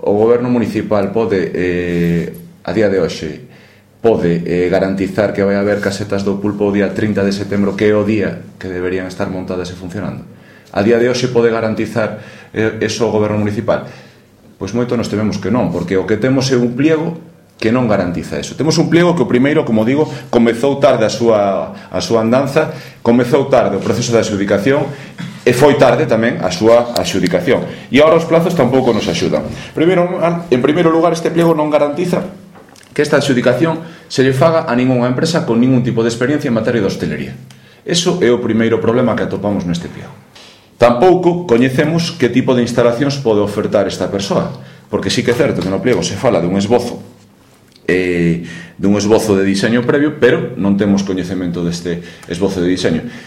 o goberno municipal pode, a día de hoxe, pode garantizar que vai haber casetas do pulpo o día 30 de setembro, que é o día que deberían estar montadas e funcionando? A día de hoxe pode garantizar eso o goberno municipal? Pois moito nos tememos que non, porque o que temos é un pliego que non garantiza eso. Temos un pliego que o primeiro, como digo, comezou tarde a súa andanza, comezou tarde o proceso de adxudicación e foi tarde tamén a súa adxudicación. E agora os plazos tampouco nos axudan. En primeiro lugar, este pliego non garantiza que esta adxudicación se lle faga a ningunha empresa con ningún tipo de experiencia en materia de hostelería. Eso é o primeiro problema que atopamos neste pliego. Tampouco coñecemos que tipo de instalacións pode ofertar esta persoa, porque sí que é certo que no pliego se fala dun esbozo de diseño previo, pero non temos coñecemento deste esbozo de diseño.